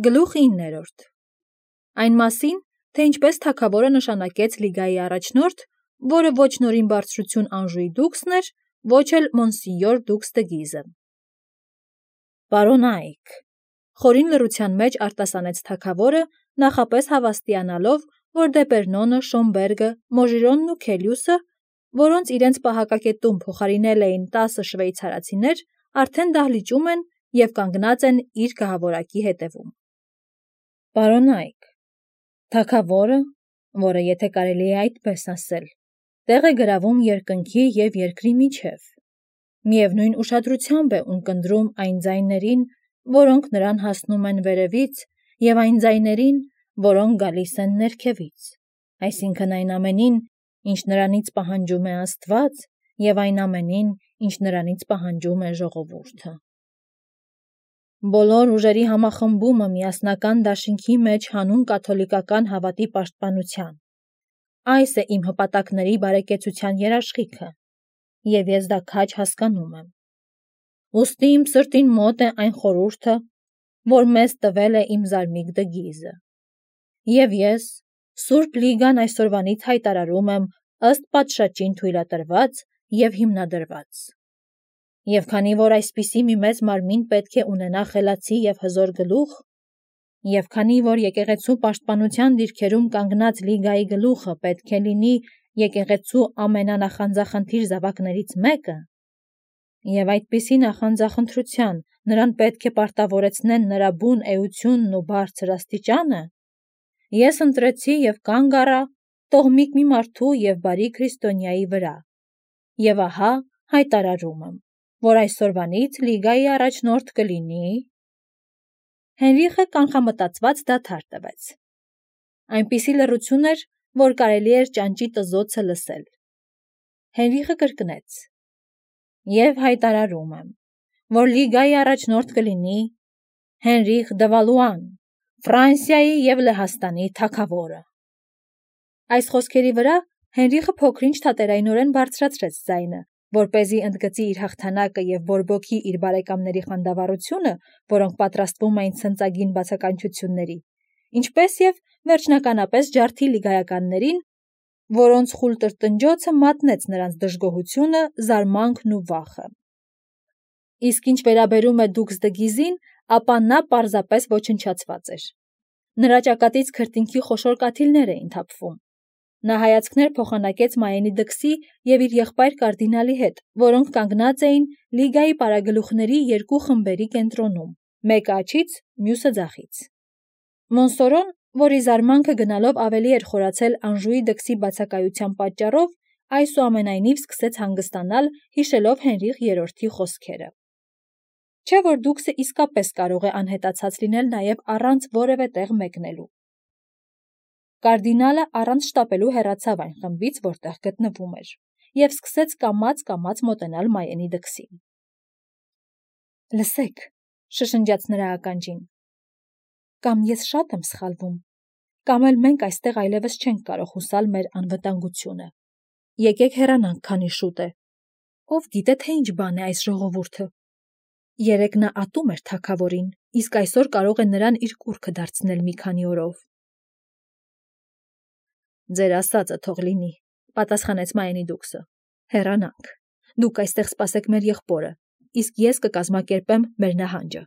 Գլուխ 9. Այն մասին, թե ինչպես թագավորը նշանակեց լիգայի առաջնորդ, որը ոչ Նորին բարձրություն Անժուի դուքսն էր, ոչ էլ Մոնսինյոր դուքս դը Գիզը։ Պարոն Այք, խորին լռության մեջ արտասանեց թագավորը, նախապես հավաստիանալով, որ Դեպերնոնը, Շոմբերգը, Մոժիրոնն ու Քելյուսը, որոնց իրենց պահակակետում փոխարինել էին 10 շվեյցարացիներ, արդեն դահլիճում են և կանգնած են իր գահավորակի հետևում։ Պարոն Այք, թագավորը, որը եթե կարելի է այդպես ասել, տեղ է գրավում երկնքի և երկրի միջև, միևնույն ուշադրությամբ է ունկնդրում այն ձայներին, որոնք նրան հասնում են վերևից, և այն ձայներին, որոնք գալիս են ներքևից, այսինքն այն ամենին, ինչ նրանից պահանջում է Աստված, և այն ամենին, ինչ նրանից պահանջում է ժողովուրդը։ Բոլոր ուժերի համախմբումը միասնական դաշինքի մեջ հանուն կաթոլիկական հավատի պաշտպանության։ Այս է իմ հպատակների բարեկեցության երաշխիքը, և ես դա քաջ հասկանում եմ։ Ուստի իմ սրտին մոտ է այն խորհուրդը, որ մեզ տվել է իմ զարմիկ դը Գիզը։ Եվ ես, Սուրբ Լիգան այսօրվանից հայտարարում եմ ըստ պատշաճին թույլատրված և հիմնադրված։ Եվ քանի որ այսպիսի մի մեծ մարմին պետք է ունենա խելացի և հզոր գլուխ, և քանի որ եկեղեցու պաշտպանության դիրքերում կանգնած Լիգայի գլուխը պետք է լինի եկեղեցու ամենանախանձախնդիր զավակներից մեկը, և այդպիսի նախանձախնդրության նրան պետք է պարտավորեցնեն նրա բուն էությունն ու բարձր աստիճանը, ես ընտրեցի և կանգ առա տոհմիկ մի մարդու և բարի քրիստոնյայի վրա, և ահա հայտարարում եմ, որ այսօրվանից Լիգայի առաջնորդ կլինի… Հենրիխը կանխամտածված դադար տվեց։ Այնպիսի լռություն էր, որ կարելի էր ճանճի տզոցը լսել։ Հենրիխը կրկնեց. «Եվ հայտարարում եմ, որ Լիգայի առաջնորդ կլինի Հենրիխ դը Վալուան, Ֆրանսիայի և Լեհաստանի թագավորը»։ Այս խոսքերի վրա Հենրիխը փոքր-ինչ թատերայնորեն բարձրացրեց ձայնը, որպեսզի ընդգծի իր հաղթանակը և բորբոքի իր բարեկամների խանդավառությունը, որոնք պատրաստվում էին ցնծագին բացականչությունների, ինչպես և վերջնականապես ջարդի լիգայականներին, որոնց խուլ տրտնջոցը մատնեց նրանց դժգոհությունը, զարմանքն ու վախը։ Իսկ ինչ վերաբերում է դուքս դը Գիզին, ապա նա պարզապես ոչնչացված էր։ Նրա ճակատից քրտինքի խոշոր կաթիլներ էին թափվում։ Նա հայացքներ փոխանակեց Մայենի դքսի և իր եղբայր կարդինալի հետ, որոնք կանգնած էին Լիգայի պարագլուխների երկու խմբերի կենտրոնում, մեկը աջից, մյուսը ձախից։ Մոնսորոն, որի զարմանքը գնալով ավելի էր խորացել Անժուի դքսի բացակայության պատճառով, այսուամենայնիվ սկսեց հանգստանալ, հիշելով Հենրիխ III-ի խոսքերը։ Չէ՞ որ դուքսը իսկապես կարող է անհետացած լինել նաև առանց որևէ տեղ մեկնելու։ Կարդինալը առանց շտապելու հեռացավ այն խմբից, որտեղ գտնվում էր, և սկսեց կամաց մոտենալ Մայենի դքսին։ «Լսեք», շշնջաց նրա ականջին, «կամ ես շատ եմ սխալվում, կամ էլ մենք այստեղ այլևս չենք կարող հուսալ մեր անվտանգությունը։ Եկեք հեռանանք, քանի շուտ է։ Ով գիտե, թե ինչ բան է այս ժողովուրդը։ Երեկ նա ատում էր թագավորին, իսկ այսօր կարող է նրան իր կուռքը դարձնել մի քանի օրով»։ «Ձեր ասածը թող լինի», պատասխանեց Մայենի դուքսը։ «Հեռանանք։ Դուք այստեղ սպասեք մեր եղբորը, իսկ ես կկազմակերպեմ մեր նահանջը։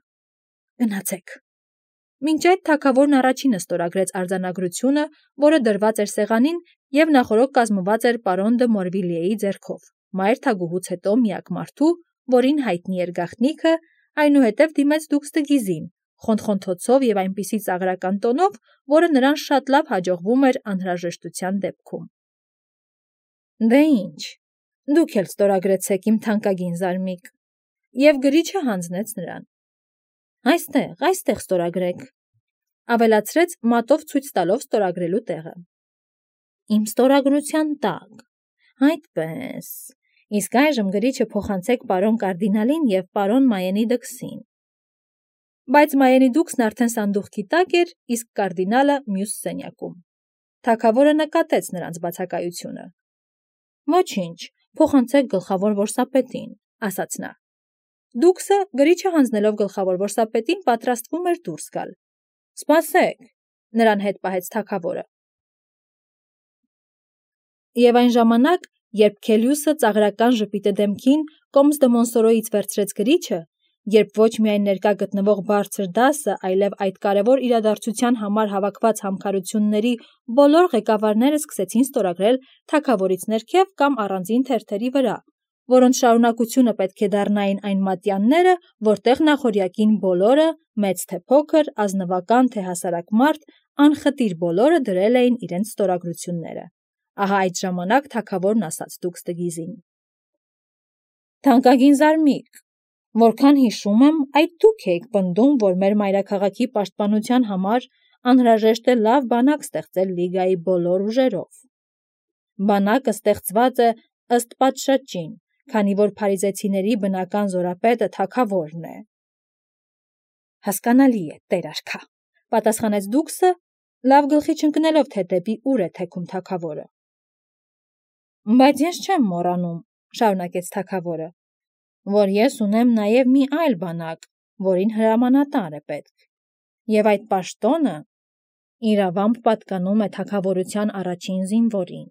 Գնացեք»։ Մինչ այդ թագավորն առաջինը ստորագրեց արձանագրությունը, որը դրված էր սեղանին և նախօրոք կազմված էր պարոն դը Մորվիլիեի ձեռքով, մայր թագուհուց հետո միակ մարդու, որին հայտնի էր գաղտնիքը, այնուհետև դիմեց դուքս դը Գիզին, խոնթխոնթոցով և այնպիսի ծաղրական տոնով, որը նրան շատ լավ հաջողվում էր անհրաժեշտության դեպքում։ «Դե ինչ, դուք էլ ստորագրեցեք, իմ թանկագին զարմիկ», և գրիչը հանձնեց նրան։ Այստեղ ստորագրեք, ավելացրեց մատով ցույց տալով ստորագրելու տեղը։ Իմ ստորագրության տակ, այդպես, իսկ այժմ գրիչը փոխանցեք պարոն կարդինալին և պարոն Մայենի դքսին։ Բայց Մայենի դուքսն արդեն սանդուղքի տակ էր, իսկ կարդինալը մյուս սենյակում։ Թագավորը նկատեց նրանց բացակայությունը։ «Ոչինչ, փոխանցեք գլխավոր որսապետին», ասաց նա։ Դուքսը, գրիչը հանձնելով գլխավոր որսապետին, պատրաստվում էր դուրս գալ։ Սպասեք, նրան հետ պահեց թագավորը։ Եվ այն ժամանակ, երբ Քելիուսը ծաղրական ժպիտը դեմքին Կոմս դը Մոնսորոյից վերցրեց գրիչը, երբ ոչ միայն ներկա գտնվող բարձր դասը, այլև այդ կարևոր իրադարձության համար հավաքված համքարությունների բոլոր ղեկավարները սկսեցին ստորագրել թագավորից ներքև կամ առանձին թերթերի վրա, որոնց շարունակությունը պետք է դառնային այն մատյանները, որտեղ նախօրյակին բոլորը, մեծ թե փոքր, ազնվական թե հասարակ մարդ, անխտիր բոլորը դրել էին իրենց ստորագրությունները։ Ահա այդ ժամանակ թագավորն ասաց Դուքս դը Գիզին. «Թանկագին զարմիկ, որքան հիշում եմ, այդ դուք եք պնդում, որ մեր մայրաքաղաքի պաշտպանության համար անհրաժեշտ է լավ բանակ ստեղծել լիգայի բոլոր ուժերով։ Բանակը ստեղծված է ըստ պատշաճին, քանի որ փարիզեցիների բնական զորապետը թագավորն է»։ «Հասկանալի է, տեր արքա», պատասխանեց Դուքսը, լավ գլխի չընկնելով, թե դեպի ուր է թեքում թագավորը։ «Բայց ես չեմ մոռանում», շարունակեց թագավորը, «որ ես ունեմ նաև մի այլ բանակ, որին հրամանատար է պետք, և այդ պաշտոնը իրավամբ պատկանում է թագավորության առաջին զինվորին։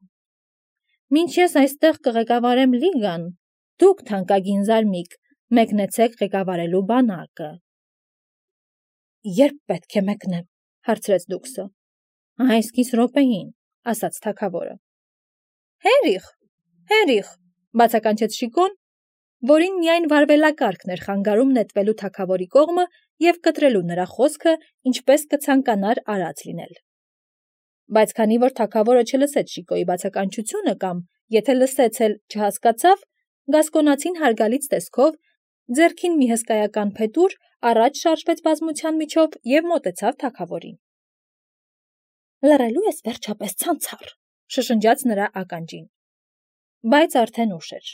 Մինչ ես այստեղ կղեկավարեմ լիգան, դուք, թանկագին զարմիկ, մեկնեցեք ղեկավարելու բանակը»։ «Երբ պետք է մեկնեմ», հարցրեց Դուքսը։ «Այս կես րոպեին», ասաց թագավորը։ Հերիխ, բացականչեց Շիկոն, որին միայն վարվելակարգն էր խանգարում նետվելու թագավորի կողմը և կտրելու նրա խոսքը, ինչպես կցանկանար արած լինել։ Բայց քանի որ թագավորը չլսեց Շիկոյի բացականչությունը կամ, եթե լսեց էլ, չհասկացավ, գասկոնացին հարգալից տեսքով, ձեռքին մի հսկայական փետուր, առաջ շարժվեց բազմության միջով և մոտեցավ թագավորին։ «Լռելու ես վերջապես ցանցառ», շշնջաց նրա ականջին։ Բայց արդեն ուշ էր։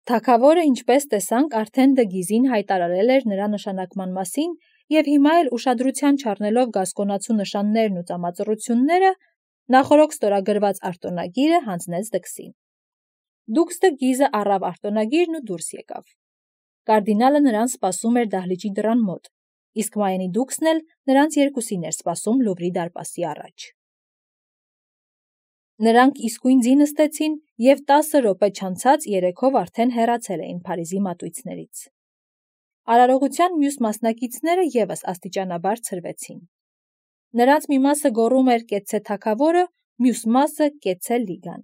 Թագավորը, ինչպես տեսանք, արդեն դը Գիզին հայտարարել էր նրա նշանակման մասին և հիմա էլ ուշադրության չառնելով գասկոնացու նշաններն ու ծամածռությունները, նախօրոք ստորագրված արտոնագիրը հանձնեց Դքսին։ Դուքս դը Գիզը առավ արտոնագիրն ու դուրս եկավ։ Կարդինալը նրան սպասում էր դահլիճի դռան մոտ, իսկ Մայենի Դուքսն էլ նրանց երկուսին էր սպասում Լուվրի դարպասի առաջ։ Նրանք իսկույն ձի նստեցին և 10 րոպե չանցած երեքով արդեն հեռացել էին Փարիզի մատույցներից։ Արարողության մյուս մասնակիցները ևս աստիճանաբար ցրվեցին։ Նրանց մի մասը գոռում էր «Կեցցե թագավորը», մյուս մասը «Կեցցե լիգան»։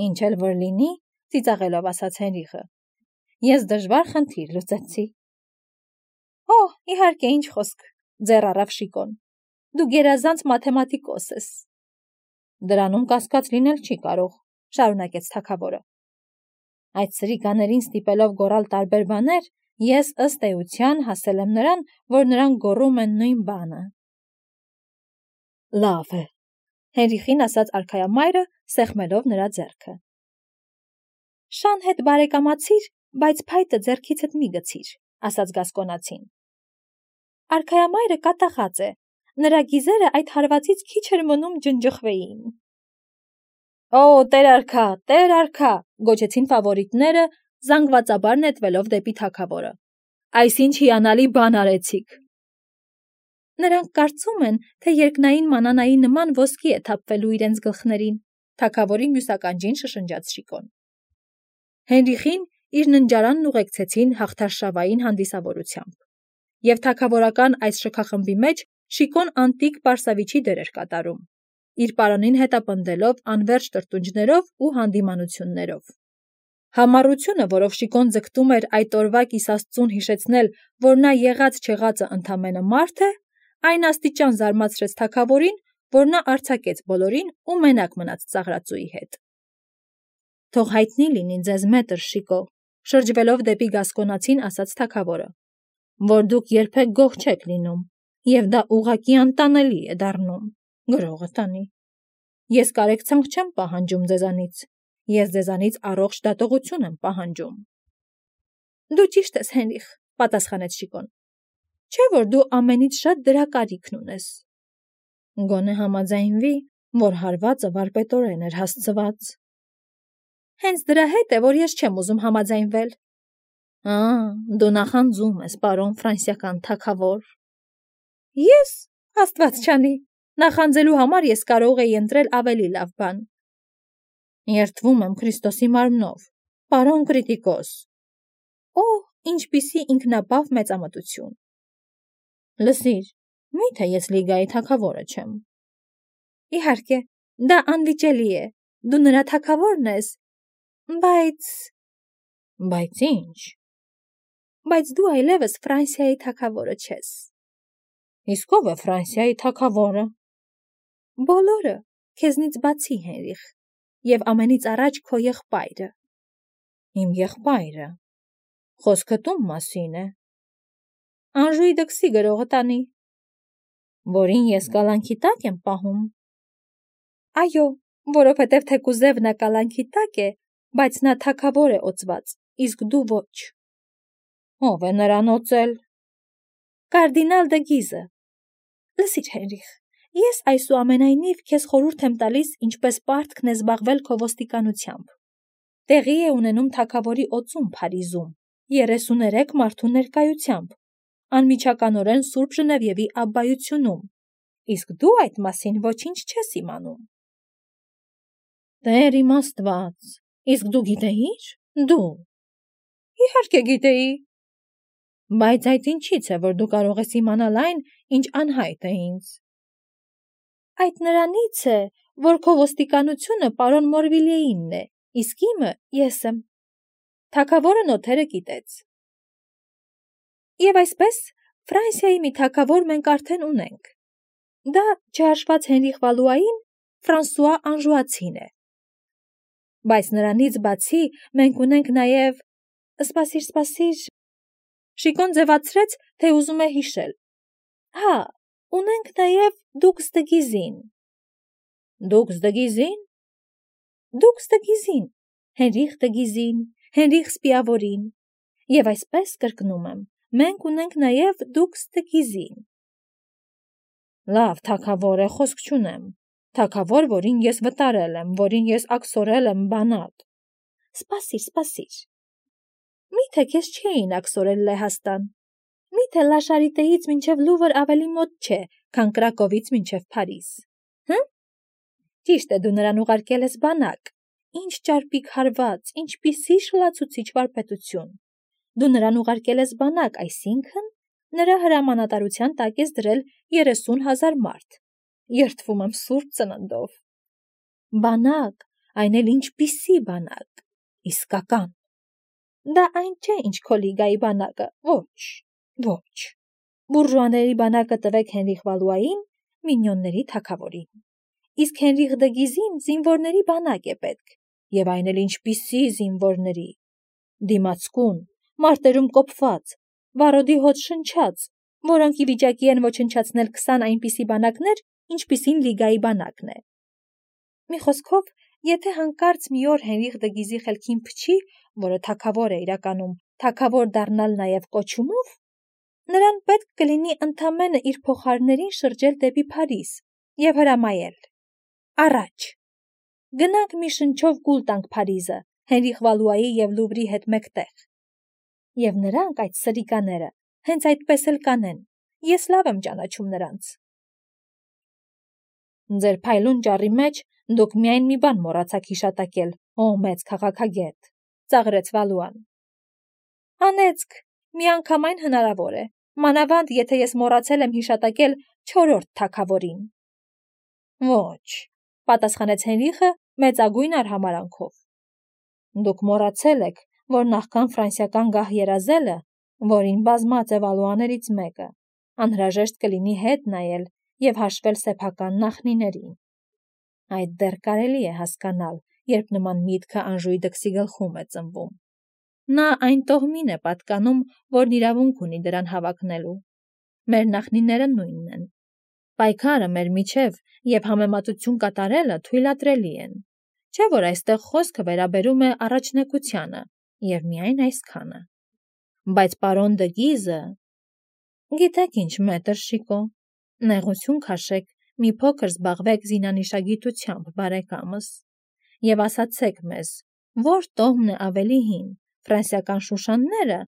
«Ինչ էլ որ լինի», ծիծաղելով ասաց Հենրիխը, «ես դժվար խնդիր լուծեցի»։ «Օ, իհարկե, ինչ խոսք», ձեռ առավ Շիկոն, «դու գերազանց մաթեմատիկոս ես»։ «Դրանում կասկած լինել չի կարող», շարունակեց թագավորը։ «Այդ սրիկաներին ստիպելով գոռալ տարբեր բաներ, ես ըստ էության հասել եմ նրան, որ նրանք գոռում են նույն բանը»։ «Լավ է», Հենրիխին ասաց արքայամայրը, սեղմելով նրա ձեռքը։ «Շան հետ բարեկամացիր, բայց փայտը ձեռքիցդ մի գցիր», ասաց գասկոնացին։ Արքայամայրը կատաղած է, նրա գիզերը այդ հարվածից քիչ էր մնում ջնջխվեին։ «Օ, տեր արքա», գոչեցին ֆավորիտները, զանգվածաբար նետվելով դեպի թագավորը։ «Այսինչ հիանալի բան արեցիք»։ Նրանք կարծում են, թե երկնային մանանայի նման ոսկի է թափվելու իրենց գլխներին, թագավորի մյուս ականջին շշնջաց Շիկոն։ Հենրիխին իր ննջարանն ուղեկցեցին հաղթարշավային հանդիսավորությամբ, և թագավորական այս շքախմբի մեջ Շիկոն անտիկ պարսավիչի դեր էր կատարում, իր պարանին հետապնդելով անվերջ տրտունջներով ու հանդիմանություններով։ Համառությունը, որով Շիկոն ձգտում էր այդ օրվա կիսաստծուն հիշեցնել, որ նա եղած-չեղածը ընդամենը մարդ է, այն աստիճան զարմացրեց թագավորին, որ նա արձակեց բոլորին ու մենակ մնաց ծաղրածուի հետ։ «Թող հայտնի լինի ձեզ, մետր Շիկո», շրջվելով դեպի գասկոնացին ասաց թագավորը, «որ դուք երբեք գող չեք լինում, և դա ուղղակի անտանելի է դառնում, գրողը տանի։ Ես կարեկցանք չեմ պահանջում ձեզանից, ես ձեզանից առողջ դատողություն եմ պահանջում»։ «Դու ճիշտ ես, Հենրիխ», պատասխանեց Շիկոն, «չէ՞ որ դու ամենից շատ դրա կարիքն ունես»։ «Գոնե համաձայնվի, որ հարվածը վարպետորեն էր հասցված»։ «Հենց դրա հետ է, որ ես չեմ ուզում համաձայնվել»։ «Դու նախանձում ես, պարոն ֆրանսիական թագավոր»։ Ես, Աստված չանի, նախանձելու համար ես կարող էի ընտրել ավելի լավ բան։ Երդվում եմ Քրիստոսի մարմնով, պարոն Կրիտիկոս։ Օ, ինչպիսի ինքնաբավ մեծամտություն։ Լսիր, միթե ես լիգայի թագավորը չեմ։ Իհարկե, դա անվիճելի է, դու նրա թագավորն ես, բայց ինչ։ Բայց դու այլևս Ֆրանսիայի թագավորը չես։ Իսկ ով է Ֆրանսիայի թագավորը։ Բոլորը, քեզնից բացի, Հենրիխ, եւ ամենից առաջ քո եղբայրը։ Իմ եղբայրը։ Խոսքդ ում մասին է։ Անժուի դքսի գրողը տանի, որին ես կալանքի տակ եմ պահում։ Այո, որովհետև թեկուզև նա կալանքի տակ է, բայց նա թագավոր է օծված, իսկ դու ոչ։ Ով է նրան օծել։ Կարդինալ դը Գիզը։ Լսիր, Հենրիխ, ես այսուամենայնիվ քեզ խորհուրդ եմ տալիս, ինչպես պարտքն է զբաղվել քո ոստիկանությամբ։ Տեղի է ունենում թագավորի օծում Փարիզում, 33 մարդու ներկայությամբ, անմիջականորեն Սուրբ Ժնևիևի աբբայությունում, իսկ դու այդ մասին ոչինչ չես իմանում։ Տեր իմ Աստված, իսկ դու գիտեիր։ Դու։ Իհարկե գիտեի։ Բայց այդ ինչից է, որ դու կարող ես իմանալ այն, ինչ անհայտ է ինձ։ Այդ նրանից է, որ քո ոստիկանությունը պարոն Մորվիլիեինն է, իսկ իմը ես եմ։ Թագավորը նոթերը գիտեց։ Եվ այսպես, Ֆրանսիայի մի թագավոր մենք արդեն ունենք։ Դա չհաշված Հենրիխ Վալուային Ֆրանսուଆ Անժուացին է։ Բայց նրանից բացի մենք ունենք նաև… Սպասիր… Շիկոն ձևացրեց, թե ուզում է հիշել։ Հա, ունենք նաև Դուկս դը Գիզին։ Դուկս դը Գիզին։ Դուկս դը Գիզին, Հենրիխ դը Գիզին, Հենրիխ Սպիավորին։ Եվ այսպես կրկնում եմ, մենք ունենք նաև Դուկս դը Գիզին։ Լավ, թագավոր է, խոսք չունեմ։ Թագավոր, որին ես վտարել եմ, որին ես աքսորել եմ բանատ։ Սպասիր։ Միթե քեզ չէին աքսորել Լեհաստան։ Միթե Լաշարիտեից մինչև Լուվր ավելի մոտ չէ, քան Կրակովից մինչև Փարիզ։ Հը՞։ Ճիշտ է, դու նրան ուղարկել ես բանակ։ Ինչ ճարպիկ հարված, ինչպիսի շլացուցիչ վարպետություն։ Դու նրան ուղարկել ես բանակ, այսինքն նրա հրամանատարության տակ ես դրել 30,000 մարդ։ Երդվում եմ Սուրբ Ծննդով։ Բանակ, այն էլ ինչպիսի բանակ, իսկական։ Դա այն չէ, ինչ քո լիգայի բանակը, ոչ։ Բուրժուաների բանակը տվեք Հենրիխ Վալուային, մինյոնների թագավորին։ Իսկ Հենրիխ դը Գիզին զինվորների բանակ է պետք, եւ այն էլ ինչպիսի զինվորների։ Դիմացկուն, մարտերում կոփված, վարոդի հոտ շնչած, որոնք ի վիճակի են ոչնչացնել 20 այնպիսի բանակներ, ինչպիսին լիգայի բանակն է։ Մի խոսքով, եթե հանկարծ մի օր Հենրիխ դը Գիզի խելքին փչի, որը թագավոր է իրականում, թագավոր դառնալ նաև կոչումով, նրան պետք կլինի ընդամենը իր փոխարներին շրջել դեպի Փարիզ եւ հրամայել. Առաջ, գնանք մի շնչով գուլ տանք Փարիզը, Հենրիխ Վալուայի եւ Լուվրի հետ մեկտեղ։ Եվ նրանք, այդ սրիկաները, հենց այդպես էլ կանեն։ Ես լավ եմ ճանաչում նրանց։ Ձեր փայլուն ճառի մեջ դուք միայն մի բան մոռացաք հիշատակել, ո մեծ քաղաքագետ, ծաղրեց Վալուան։ Անեծք, միանգամայն հնարավոր է, մանավանդ եթե ես մոռացել եմ հիշատակել 4-րդ թագավորին։ Ոչ, պատասխանեց Հենրիխը մեծագույն արհամարանքով։ Դուք մոռացել եք, որ նախքան ֆրանսիական գահ երազելը, որին բազմած է Վալուաներից մեկը, անհրաժեշտ կլինի հետ նայել եւ հաշվել սեփական նախնիներին։ Այդ դեռ կարելի է հասկանալ, երբ նման միտքը Անժուի դքսի գլխում է ծնվում։ Նա այն տոհմին է պատկանում, որն իրավունք ունի դրան հավակնելու։ Մեր նախնիները նույնն են։ Պայքարը մեր միջև եւ համեմատություն կատարելը թույլատրելի են։ Չէ՞ որ այստեղ խոսքը վերաբերում է առաջնեկությանը եւ միայն այսքանը։ Բայց պարոն դը Գիզը… Գիտեք ինչ, մետր Շիկո, նեղություն քաշեք, մի փոքր զբաղվեք զինանիշագիտությամբ, բարեկամս, եւ ասացեք մեզ, որ տոհմն է ավելի հին, ֆրանսիական շուշանները,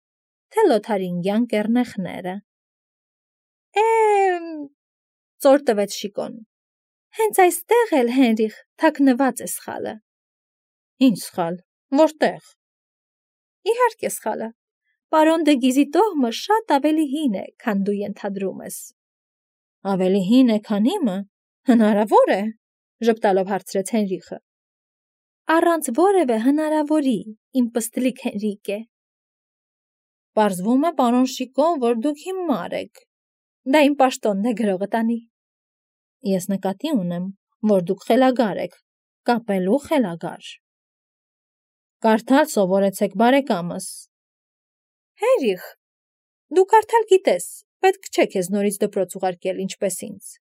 թե լոթարինգյան կեռնեխները։ ծոր տվեց Շիկոն։ Հենց այստեղ էլ Հենրիխ թաքնված է սխալը։ Ինչ սխալ, որտեղ։ Իհարկե սխալը։ Պարոն դե Գիզի տոհմը շատ ավելի հին է, քան դու ենթադրում ես։ Ավելի հին է, քան իմը։ Հնարավոր է, ժպտալով հարցրեց Հենրիխը։ Առանց որևէ հնարավորի, իմ պստլիկ Հենրիկե։ Պարզվում է, պարոն Շիկոն, որ դուք հիմար եք։ Դա իմ պաշտոնն է գրողը տանի։ Ես նկատի ունեմ, որ դուք խելագար եք, կապելու խելագար։ Կարդալ սովորեցեք բարեկամս։ Հենրիխ, դու կարդալ գիտես, պետք չէ քեզ նորից դպրոց ուղարկել ինչպես ինձ։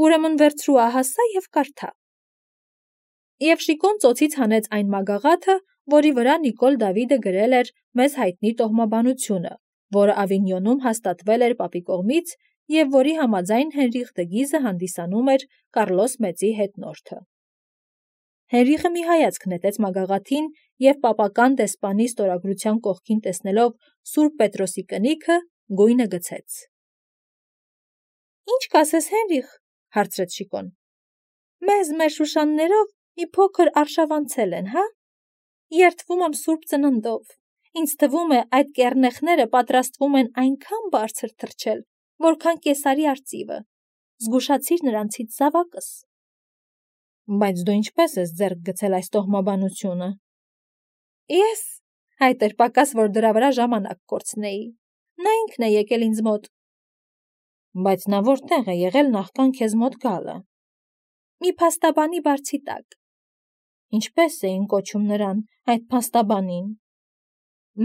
Ուրեմն վերցրու ահասա և կարդա։ Եվ Շիկոն ծոցից հանեց այն մագաղաթը, որի վրա Նիկոլ Դավիդը գրել էր մեզ հայտնի տոհմաբանությունը, որը Ավինյոնում հաստատվել էր պապի կողմից և որի համաձայն Հենրիխ դը Գիզը հանդիսանում էր Կարլոս Մեծի հետնորդը։ Հենրիխը մի հայացք նետեց մագաղաթին և պապական դեսպանի ստորագրության կողքին տեսնելով Սուրբ Պետրոսի կնիքը, գույնը գցեց։ Ինչ կասես, Հենրիխ, հարցրեց Շիկոն։ Մեզ մեր շուշաններով մի փոքր արշավանցել են, հա։ Երդվում եմ Սուրբ Ծննդով։ Ինձ թվում է, այդ կեռնեխները պատրաստվում են այնքան բարձր թռչել, որքան Կեսարի արծիվը։ Զգուշացիր նրանցից զավակս։ Բայց դու ինչպես ես ձեռք գցել այս տոհմաբանությունը։ Ես, այդ էր պակաս, որ դրա վրա ժամանակ կորցնեի։ Նա ինքն է եկել ինձ մոտ։ Բայց նա որտեղ է եղել նախքան քեզ մոտ գալը։ Մի փաստաբանի բարձի տակ։ Ինչպես էին կոչում նրան, այդ փաստաբանին։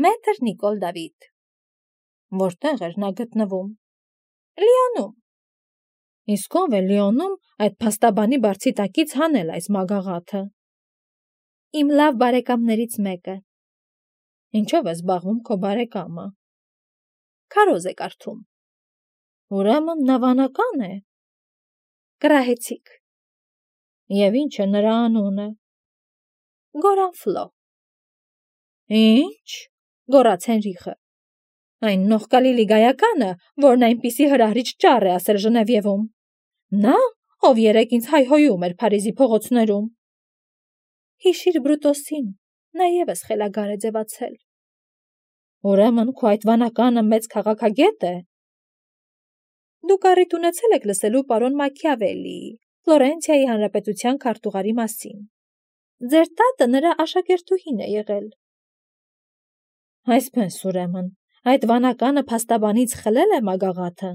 Մետր Նիկոլ Դավիթ։ Որտեղ էր նա գտնվում։ Լիոնում։ Իսկ ով է Լիոնում այդ փաստաբանի բարձի տակից հանել այս մագաղաթը։ Իմ լավ բարեկամներից մեկը։ Ինչով է զբաղվում քո բարեկամը։ Քարոզ է կարդում։ Ուրեմն նա վանական է։ Կռահեցիք։ Եվ ինչ է նրա անունը։ Գորանֆլո։ Ինչ, գոռաց Հենրիխը։ Այն նողկալի լիգայականը, որն այնպիսի հրահրիչ ճառ է ասել Ժնևիևում։ Նա, ով երեկ ինձ հայհոյում էր Փարիզի փողոցներում։ Հիշիր Բրուտոսին, նա ևս խելագար է ձևացել։ Ուրեմն քո այդ վանականը մեծ քաղաքագետ է։ Դուք առիթ ունեցել եք լսելու պարոն Մաքիավելլիի, Ֆլորենցիայի հանրապետության քարտուղարի մասին։ Ձեր տատը նրա աշակերտուհին է եղել։ Այսպես ուրեմն, այդ վանականը փաստաբանից խլել է մագաղաթը։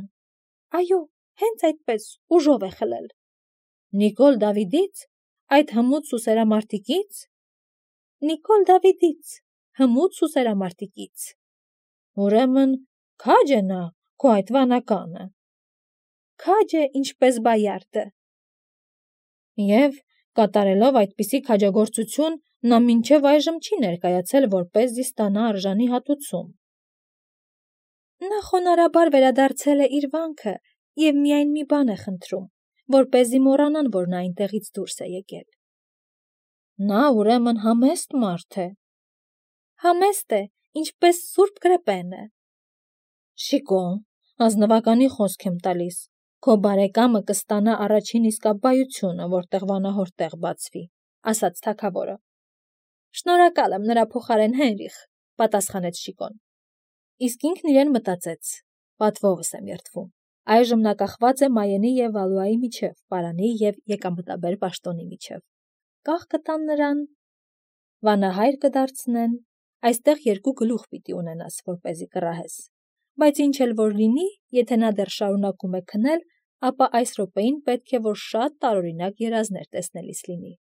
Այո, հենց այդպես, ուժով է խլել։ Նիկոլ Դավիդից, այդ հմուտ սուսերամարտիկից։ Նիկոլ Դավիդից, հմուտ սուսերամարտիկից։ Ուրեմն քաջ է նա, քո այդ վանականը։ Քաջ է ինչպես Բայարդը։ Եվ կատարելով այդպիսի քաջագործություն, նա մինչև այժմ չի ներկայացել, որպեսզի ստանա արժանի հատուցում։ Նա խոնարհաբար վերադարձել է իր վանքը և միայն մի բան է խնդրում, որպեսզի մոռանան, որ նա այնտեղից դուրս է եկել։ Նա ուրեմն համեստ մարդ է։ Համեստ է, ինչպես Սուրբ Գրեպենը։ Շիկոն, ազնվականի խոսք եմ տալիս, քո բարեկամը կստանա առաջին իսկաբայությունը, որտեղ վանահորտեղ բացվի, ասաց թագավորը։ Շնորհակալ եմ նրա փոխարեն, Հենրիխ, պատասխանեց Շիկոն։ Իսկ ինքն իրեն մտածեց. պատվովս եմ երդվում։ Այժմ նա կախված է Մայենի և Վալուայի միջև, պարանի և եկամտաբեր պաշտոնի միջև։ Կախ կտան նրան, վանահայր կդարձնեն, այստեղ երկու գլուխ պիտի ունենաս, որպեսզի կռահես։ Բայց ինչ էլ որ լինի, եթե նա դեռ շարունակում է քնել, ապա այս րոպեին պետք է, որ շատ տարօրինակ երազներ տեսնելիս լինի։